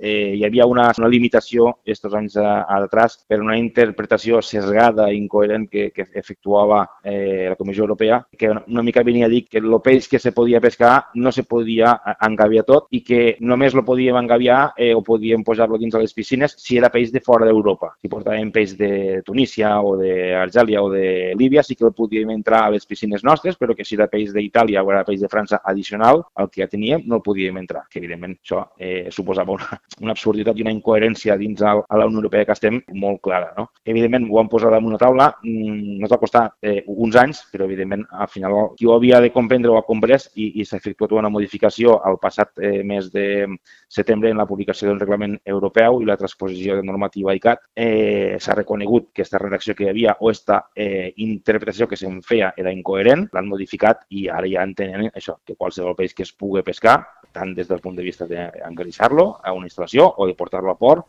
hi havia una limitació estos anys atrás per una interpretació sesgada i incoherent que efectuava la Comissió Europea, que una mica venia a dir que el peix que se podia pescar no se podia engaviar tot i que només lo podíem engaviar o podíem posar-lo dins de les piscines si era peix de fora d'Europa. Si portàvem peix de Tunísia o d'Argèlia o de Líbia sí que el podíem entrar a les piscines nostres, però que si era peix d'Itàlia o era peix de França addicional al que ja teníem, no el podíem entrar. Que evidentment això suposava una absurditat i una incoherència dins a la Unió Europea que estem molt clara, no? Evidentment ho vam posar damunt la taula, ens va costar uns anys, però evidentment al final qui ho havia de comprendre ho ha comprès i s'ha efectuat una modificació al passat mes de setembre en la publicació del reglament europeu i la transposició de normativa ICAT. S'ha reconegut que aquesta redacció que hi havia o aquesta interpretació que se'n feia era incoherent, l'han modificat i ara ja entenen això, que qualsevol peix que es pugui pescar, tant des del punt de vista d'engreixar-lo a una instal·lació o de portar-lo a port,